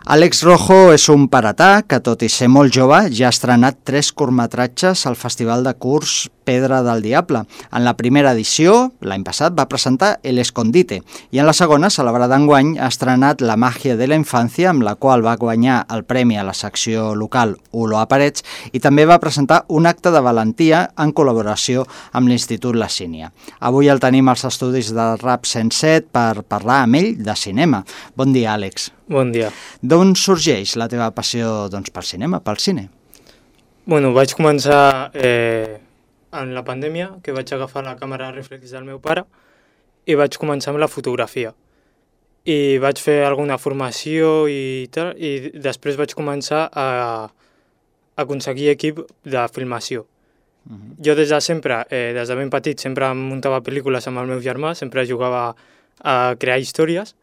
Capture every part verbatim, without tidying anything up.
Àlex Rojo és un paratà que, tot i ser molt jove, ja ha estrenat tres curtmetratges al Festival de Curs Pedra del Diable. En la primera edició, l'any passat, va presentar El Escondite i en la segona, celebrada enguany, ha estrenat La màgia de la infància, amb la qual va guanyar el premi a la secció local Olor a Parets, i també va presentar un acte de valentia en col·laboració amb l'Institut La Sínia. Avui el tenim als estudis del Rap cent set per parlar amb ell de cinema. Bon dia, Àlex. Bon dia. D'on sorgeix la teva passió doncs, pel cinema, pel cine? Bueno, vaig començar eh, en la pandèmia, que vaig agafar la càmera reflex del meu pare i vaig començar amb la fotografia. I vaig fer alguna formació i tal, i després vaig començar a, a aconseguir equip de filmació. Uh-huh. Jo des de sempre, eh, des de ben petit, sempre muntava pel·lícules amb el meu germà, sempre jugava a crear històries,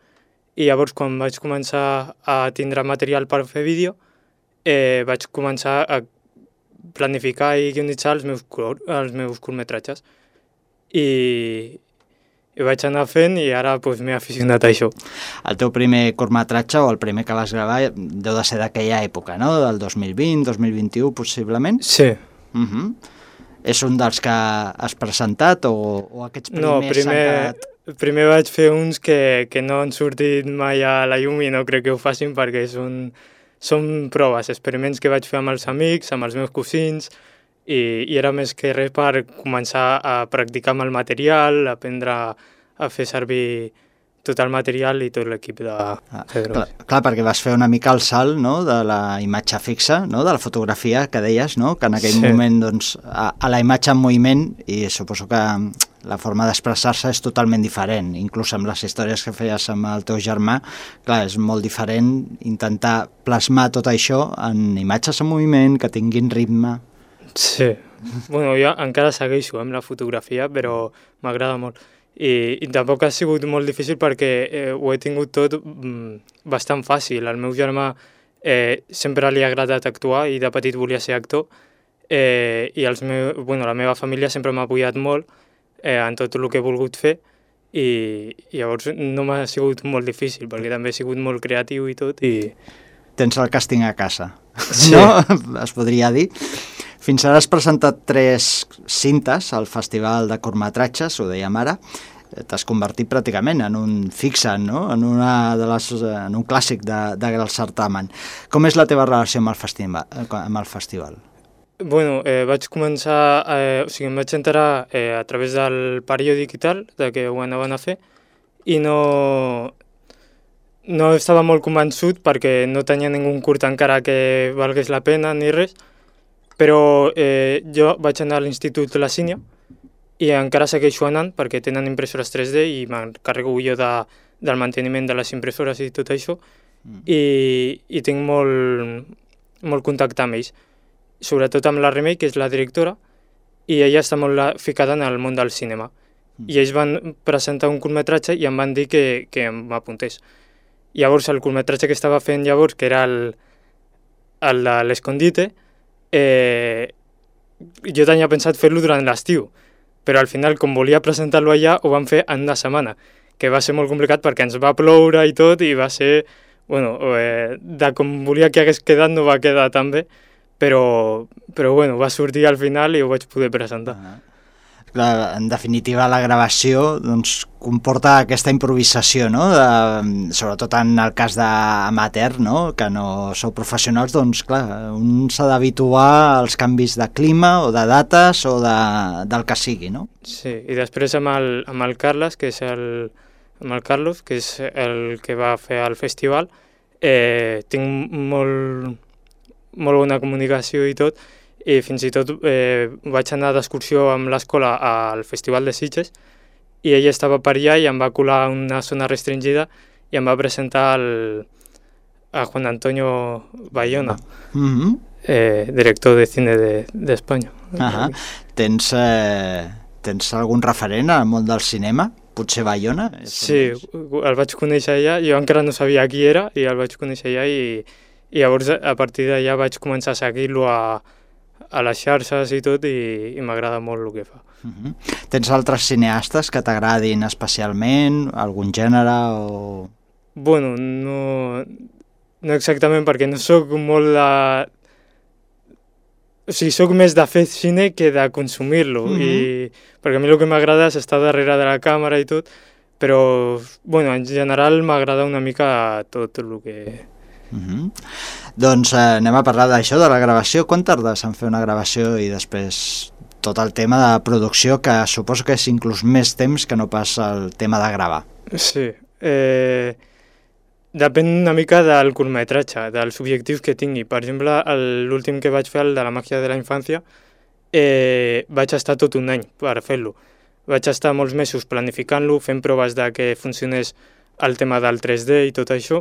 i llavors quan vaig començar a tindre material per fer vídeo, eh, vaig començar a planificar i guionitzar els meus, els meus curtmetratges. I, i vaig anar fent i ara pues, m'he aficionat a això. El teu primer curtmetratge o el primer que vas gravar deu de ser d'aquella època, no? Del dos mil vint, dos mil vint-i-u possiblement? Sí. Uh-huh. És un dels que has presentat o, o aquests primers no, primer... s'han quedat... Primer vaig fer uns que, que no han sortit mai a la llum i no crec que ho facin perquè són, són proves, experiments que vaig fer amb els amics, amb els meus cosins, i, i era més que res per començar a practicar amb el material, aprendre a fer servir tot el material i tot l'equip de... Ah, clar, clar, perquè vas fer una mica el salt, no?, de la imatge fixa, no?, de la fotografia que deies, no?, que en aquell sí. moment, doncs, a, a la imatge en moviment, i suposo que la forma d'expressar-se és totalment diferent, inclús amb les històries que feies amb el teu germà, clar, és molt diferent intentar plasmar tot això en imatges en moviment, que tinguin ritme. Sí, bueno, jo encara segueixo amb la fotografia, però m'agrada molt. I, i tampoc ha sigut molt difícil perquè eh, ho he tingut tot mm, bastant fàcil. El meu germà eh, sempre li ha agradat actuar i de petit volia ser actor, eh, i els meu, bueno, la meva família sempre m'ha apoyat molt eh, en tot el que he volgut fer, i, i llavors no m'ha sigut molt difícil perquè també he sigut molt creatiu i tot. I... Tens el càsting a casa, sí. No? Es podria dir. Fins ara has presentat tres cintes al Festival de Curtmetratges, ho dèiem ara. T'has convertit pràcticament en un fixe, no?, en, una de les, en un clàssic de, de, del certamen. Com és la teva relació amb el festival? Amb el festival? Bueno, eh, vaig començar, eh, o sigui, em vaig enterar eh, a través del periòdic i tal, de que ho anaven a fer, i no, no estava molt convençut perquè no tenia ningú curt encara que valgués la pena ni res, però eh, jo vaig anar a l'Institut La Sínia i encara segueixo anant perquè tenen impressores tres D i m'encarrego jo de, del manteniment de les impressores i tot això, mm. i, i tinc molt, molt contacte amb ells, sobretot amb la Remei, que és la directora, i ella està molt ficada en el món del cinema. Mm. I ells van presentar un curtmetratge i em van dir que, que m'apuntés. Llavors el curtmetratge que estava fent llavors, que era el, el de l'Escondite, Eh, jo tenia pensat fer-lo durant l'estiu, però al final, com volia presentar-lo allà, ho vam fer en una setmana, que va ser molt complicat perquè ens va ploure i tot, i va ser, bueno, eh, de com volia que hagués quedat no va quedar tan bé, però, però bueno, va sortir al final i ho vaig poder presentar. Ah. Clar, en definitiva, la gravació doncs, comporta aquesta improvisació, no? De, sobretot en el cas d'amateur, no? Que no sou professionals, doncs clar, un s'ha d'habituar als canvis de clima o de dates o de, del que sigui, no? Sí, i després amb el, amb el Carles, que és el, amb el Carlos, que és el que va fer el festival, eh, tinc molt, molt bona comunicació i tot, i fins i tot eh, vaig anar d'excursió amb l'escola al Festival de Sitges i ell estava per allà i em va colar una zona restringida i em va presentar el, a Juan Antonio Bayona, mm-hmm. eh, director de cine d'Espanya. De, uh-huh. Tens, eh, tens algun referent al món del cinema? Potser Bayona? Sí, el vaig conèixer allà, jo encara no sabia qui era i el vaig conèixer allà i, i llavors a partir d'allà vaig començar a seguir-lo a a les xarxes i tot, i, i m'agrada molt el que fa. Uh-huh. Tens altres cineastes que t'agradin especialment? Algun gènere o...? Bueno, no... no exactament, perquè no sóc molt de... O sigui, sóc més de fer cine que de consumir-lo, mm-hmm. i perquè a mi el que m'agrada és estar darrere de la càmera i tot, però, bueno, en general m'agrada una mica tot el que... Mm-hmm. Doncs eh, anem a parlar d'això, de la gravació. Quan tardes en fer una gravació i després tot el tema de producció, que suposo que és inclús més temps que no pas el tema de gravar? Sí, eh... depèn una mica del curtmetratge, dels objectius que tingui. Per exemple, l'últim que vaig fer, el de la màgia de la infància, eh, vaig estar tot un any per fer-lo. Vaig estar molts mesos planificant-lo, fent proves de que funcionés el tema del tres D i tot això,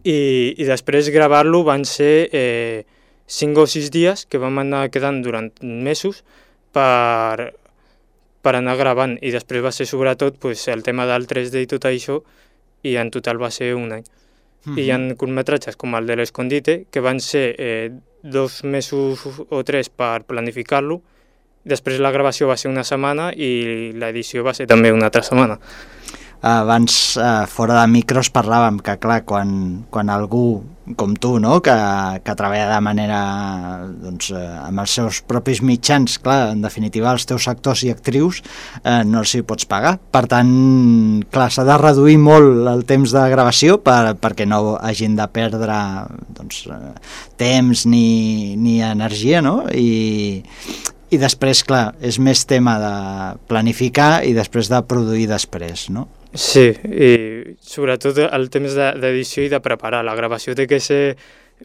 i, i després gravar-lo van ser eh, cinc o sis dies que vam anar quedant durant mesos per, per anar gravant, i després va ser sobretot pues, el tema del tres D i tot això, i en total va ser un any. Mm-hmm. I hi ha curtmetratges com el de l'Escondite, que van ser eh, dos mesos o tres per planificar-lo, després la gravació va ser una setmana i l'edició va ser també una altra setmana. Abans, eh, fora de micros, parlàvem que, clar, quan, quan algú com tu, no?, que, que treballa de manera, doncs, eh, amb els seus propis mitjans, clar, en definitiva, els teus actors i actrius eh, no els hi pots pagar. Per tant, clar, s'ha de reduir molt el temps de gravació per, perquè no hagin de perdre, doncs, eh, temps ni, ni energia, no?, i... I després, clar, és més tema de planificar i després de produir després, no? Sí, i sobretot el temps d'edició i de preparar. La gravació té que ser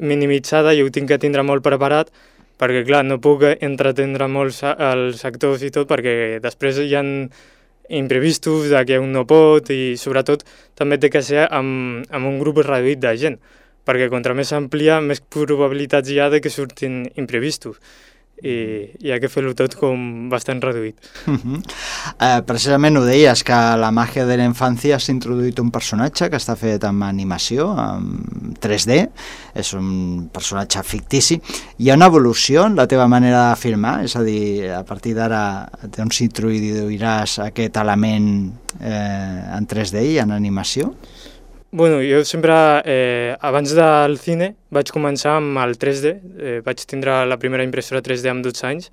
minimitzada i ho tinc que tindre molt preparat perquè, clar, no puc entretendre molt els actors i tot perquè després hi ha imprevistos de que un no pot i sobretot també té que ser amb, amb un grup reduït de gent perquè contra més amplia, més probabilitats hi ha de que surtin imprevistos. I hi ha que fer-ho tot com bastant reduït. Uh-huh. eh, precisament ho deies, que a la màgia de la infància s'ha introduït un personatge que està fet amb animació, amb tres D, és un personatge fictici. Hi ha una evolució en la teva manera de filmar? És a dir, a partir d'ara doncs introduiràs aquest element eh, en tres D i en animació? Bueno, jo sempre, eh, abans del cine, vaig començar amb el tres D, eh, vaig tindre la primera impressora tres D amb dotze anys,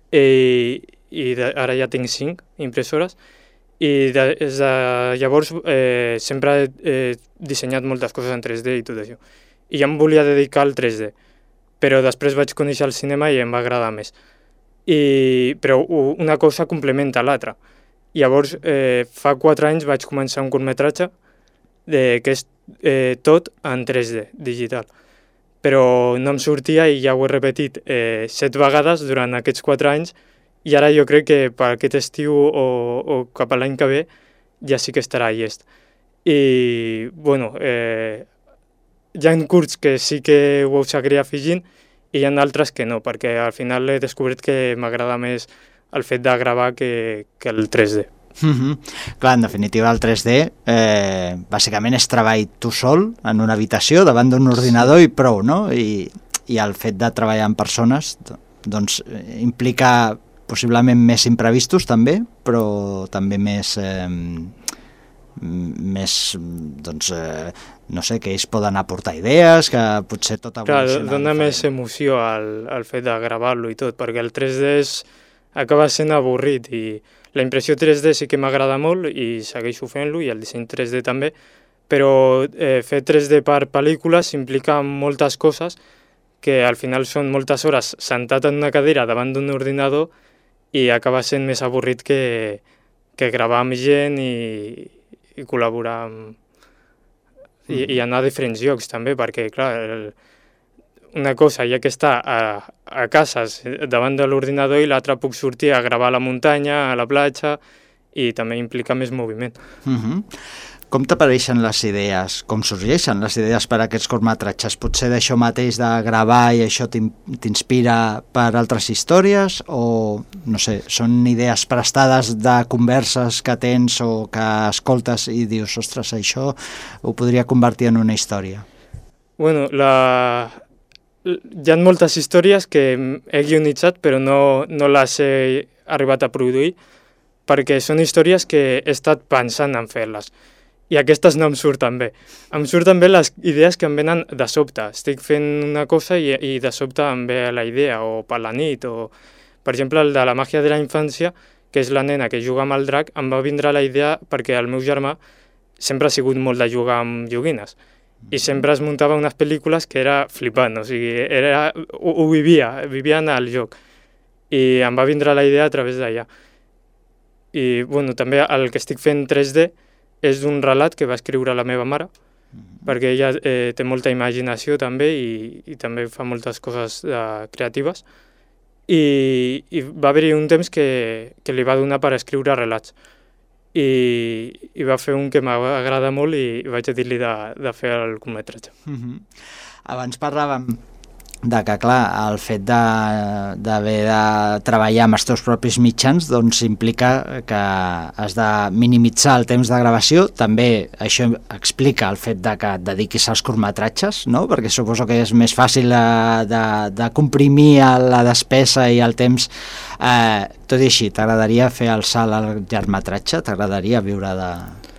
eh, i de, ara ja tinc cinc impressores, i de, des de llavors eh, sempre he eh, dissenyat moltes coses en tres D i tot això. I ja em volia dedicar al tres D, però després vaig conèixer el cinema i em va agradar més. I, però una cosa complementa l'altra. Llavors, eh, fa quatre anys vaig començar un curtmetratge, de, que és eh, tot en tres D, digital. Però no em sortia i ja ho he repetit eh, set vegades durant aquests quatre anys i ara jo crec que per aquest estiu o, o cap a l'any que ve ja sí que estarà llest. I, bueno, eh, hi ha curts que sí que ho seguiré afegint i hi ha altres que no, perquè al final he descobert que m'agrada més el fet de gravar que, que el tres D. Mm-hmm. Clar, en definitiva el tres D eh, bàsicament és treball tu sol en una habitació davant d'un ordinador i prou, no? I, i el fet de treballar amb persones doncs implica possiblement més imprevistos també, però també més eh, més doncs eh, no sé, que ells poden aportar idees, que potser tot evoluciona. Clar, dona més emoció al, al fet de gravar-lo i tot, perquè el tres D és, acaba sent avorrit i la impressió tres D sí que m'agrada molt i segueixo fent-lo, i el disseny tres D també, però eh, fer tres D per pel·lícules implica moltes coses que al final són moltes hores sentat en una cadira davant d'un ordinador i acaba sent més avorrit que, que gravar amb gent i, i col·laborar amb... I, i anar a diferents llocs també, perquè clar, el, una cosa ja que està a, a casa davant de l'ordinador i l'altra puc sortir a gravar a la muntanya, a la platja, i també implica més moviment. Uh-huh. Com t'apareixen les idees? Com sorgeixen les idees per a aquests curtmetratges? Potser d'això mateix de gravar i això t'inspira per altres històries? O, no sé, són idees prestades de converses que tens o que escoltes i dius, ostres, això ho podria convertir en una història? Bueno, la... hi ha moltes històries que he guionitzat però no, no les he arribat a produir perquè són històries que he estat pensant en fer-les i aquestes no em surten bé. Em surten bé les idees que em venen de sobte. Estic fent una cosa i, i de sobte em ve la idea, o per la nit, o... Per exemple, el de la màgia de la infància, que és la nena que juga amb el drac, em va vindre la idea perquè el meu germà sempre ha sigut molt de jugar amb joguines. I sempre es muntava unes pel·lícules que era flipant, o sigui, era, ho, ho vivia, vivia en el joc. I em va vindre la idea a través d'allà. I, bueno, també el que estic fent tres D és d'un relat que va escriure la meva mare, mm-hmm. perquè ella eh, té molta imaginació també i, i també fa moltes coses eh, creatives. I, i va haver-hi un temps que, que li va donar per escriure relats. I, i va fer un que m'agrada molt i vaig dir-li de, de fer el curtmetratge. Mm-hmm. Abans parlàvem de que, clar, el fet d'haver de, de treballar amb els teus propis mitjans doncs implica que has de minimitzar el temps de gravació. També això explica el fet de que et dediquis als curtmetratges, no? Perquè suposo que és més fàcil de, de, de comprimir la despesa i el temps. Eh, tot i així, t'agradaria fer el salt al llargmetratge? T'agradaria viure de,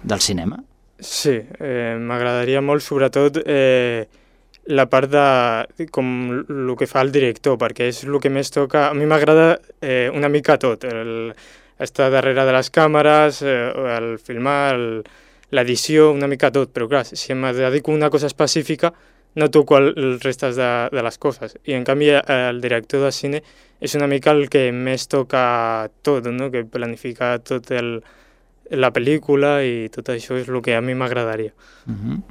del cinema? Sí, eh, m'agradaria molt, sobretot... Eh, la part de com el que fa el director, perquè és el que més toca. A mi m'agrada eh, una mica tot, el, estar darrere de les càmeres, eh, el filmar, l'edició, una mica tot, però clar, si em dedico a una cosa específica no toco el, el restes de, de les coses. I en canvi el director de cine és una mica el que més toca tot, no? Que planifica tot el, la pel·lícula i tot això és el que a mi m'agradaria. Uh-huh.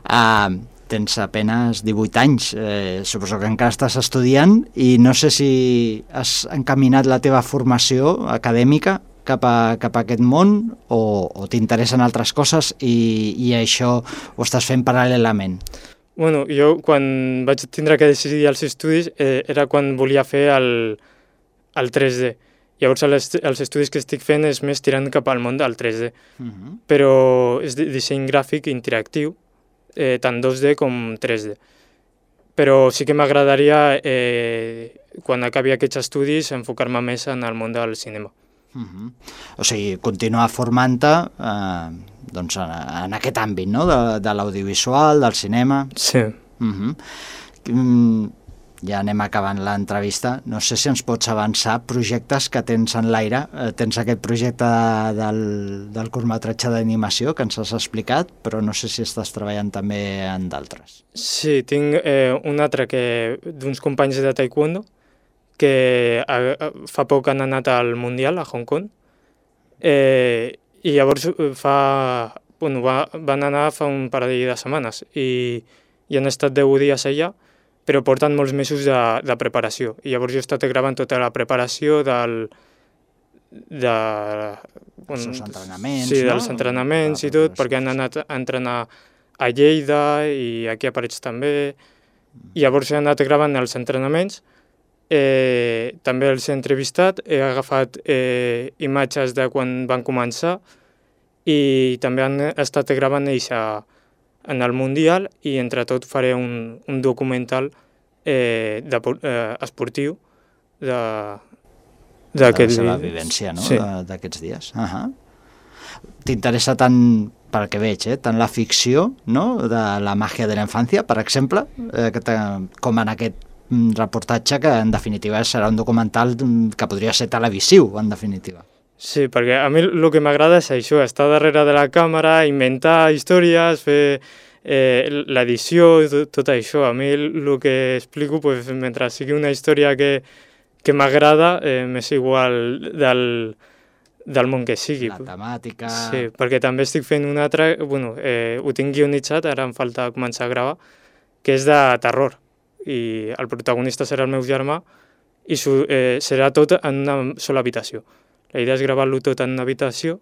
uh... Tens apenas divuit anys, eh, suposo que encara estàs estudiant i no sé si has encaminat la teva formació acadèmica cap a, cap a aquest món o, o t'interessen altres coses i, i això ho estàs fent paral·lelament. Bueno, jo quan vaig tindre que decidir els estudis eh, era quan volia fer el, el tres D. Llavors els, els estudis que estic fent és més tirant cap al món del tres D, uh-huh. però és disseny gràfic interactiu, Eh, tant dos D com tres D. Però sí que m'agradaria, eh, quan acabi aquests estudis, enfocar-me més en el món del cinema. Uh-huh. O sigui, continuar formant-te eh, doncs en, en aquest àmbit, no? De, de l'audiovisual, del cinema... Sí. Uh-huh. Mm, ja anem acabant l'entrevista. No sé si ens pots avançar projectes que tens en l'aire. Eh, tens aquest projecte de, del, del curtmetratge d'animació que ens has explicat, però no sé si estàs treballant també en d'altres. Sí, tinc eh, un altre que d'uns companys de taekwondo que a, fa poc han anat al Mundial a Hong Kong eh, i llavors fa, bueno, va, van anar fa un parell de setmanes i, i han estat deu dies allà, però porten molts mesos de, de preparació. I llavors jo he estat gravant tota la preparació del... de... Bueno, els entrenaments, sí, no? dels entrenaments i tot, perquè han anat a entrenar a Lleida i aquí a Parets també. I llavors he anat gravant els entrenaments, eh, també els he entrevistat, he agafat eh, imatges de quan van començar i també han estat gravant ells a en el Mundial i entre tot faré un, un documental eh, de, eh, esportiu de, de la seva vivència, no? Sí. D'aquests dies. Uh-huh. T'interessa tant, pel que veig, eh? tant la ficció, no? De la màgia de la infància, per exemple, eh, que com en aquest reportatge que en definitiva serà un documental que podria ser televisiu, en definitiva. Sí, perquè a mi el que m'agrada és això, estar darrere de la càmera, inventar històries, fer eh, l'edició, tot, tot això. A mi el que explico, pues, mentre sigui una història que, que m'agrada, eh, m'és igual del, del món que sigui. La temàtica... Sí, perquè també estic fent un altre, bueno, eh, ho tinc guionitzat, ara em falta començar a gravar, que és de terror. I el protagonista serà el meu germà i su, eh, serà tot en una sola habitació. La idea és gravar-lo tot en una habitació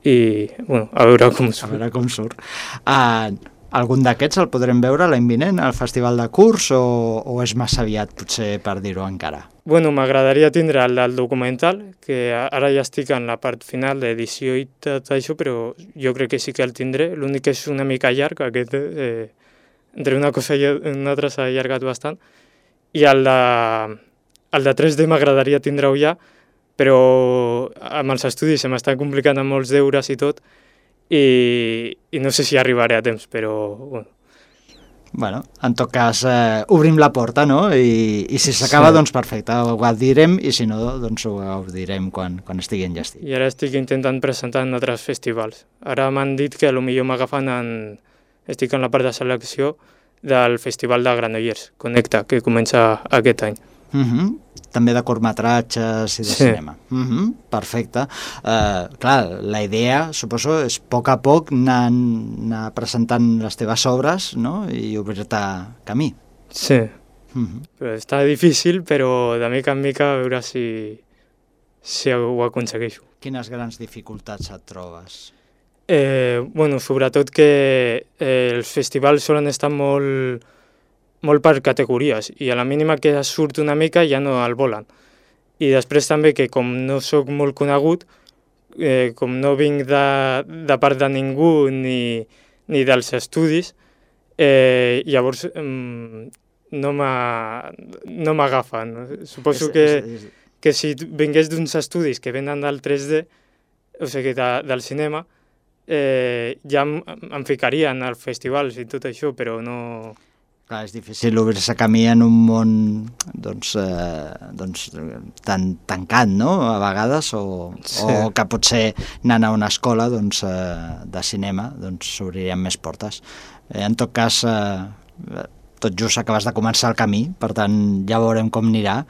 i, bueno, a veure com surt. A veure com surt. Uh, algun d'aquests el podrem veure l'any vinent al Festival de Curs o, o és massa aviat, potser, per dir-ho encara? Bueno, m'agradaria tindre el del documental, que ara ja estic en la part final d'edició i tot això, però jo crec que sí que el tindré. L'únic que és una mica llarg, aquest, eh, entre una cosa i una altra s'ha allargat bastant. I el de, el de tres D m'agradaria tindre-ho ja, però amb els estudis se m'estan complicant amb molts deures i tot, i, i no sé si arribaré a temps, però bueno. Bueno, en tot cas, eh, obrim la porta, no? I, i si s'acaba, sí. doncs perfecte, ho direm, i si no, doncs ho direm quan, quan estigui enllestit. I ara estic intentant presentar en altres festivals. Ara m'han dit que potser m'agafen en... Estic en la part de selecció del Festival de Granollers, Connecta, que comença aquest any. Uh -huh. També de curtmetratges i de sí. cinema. Uh -huh. Perfecte. Uh, clar, la idea, suposo, és a poc a poc anar, anar presentant les teves obres, no? I obrir-te camí. Sí. Uh -huh. Però està difícil, però de mica en mica a veure si, si ho aconsegueixo. Quines grans dificultats et trobes? Eh, bueno, sobretot que eh, els festivals solen estar molt... molt per categories, i a la mínima que surt una mica ja no el volen. I després també que com no sóc molt conegut, eh, com no vinc de, de part de ningú ni, ni dels estudis, eh, llavors eh, no m'agafen. No Suposo que, que si vingués d'uns estudis que venen del tres D, o sigui, de, del cinema, eh, ja em, em ficarien als festivals i tot això, però no... Clar, és difícil obrir-se camí en un món doncs, eh, doncs, tan tancat, no?, a vegades, o, sí. o que potser anant a una escola doncs, eh, de cinema doncs, s'obririen més portes. Eh, en tot cas, eh, tot just acabes de començar el camí, per tant ja veurem com anirà.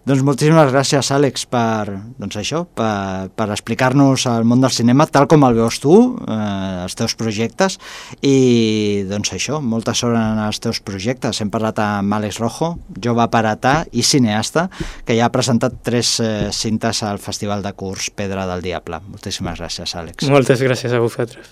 Doncs moltíssimes gràcies, Àlex, per, doncs això, per, per explicar-nos el món del cinema tal com el veus tu, eh, els teus projectes, i doncs això, molta sort en els teus projectes. Hem parlat amb Àlex Rojo, jove paratà i cineasta, que ja ha presentat tres eh, cintes al Festival de Curs Pedra del Diable. Moltíssimes gràcies, Àlex. Moltes gràcies a vosaltres.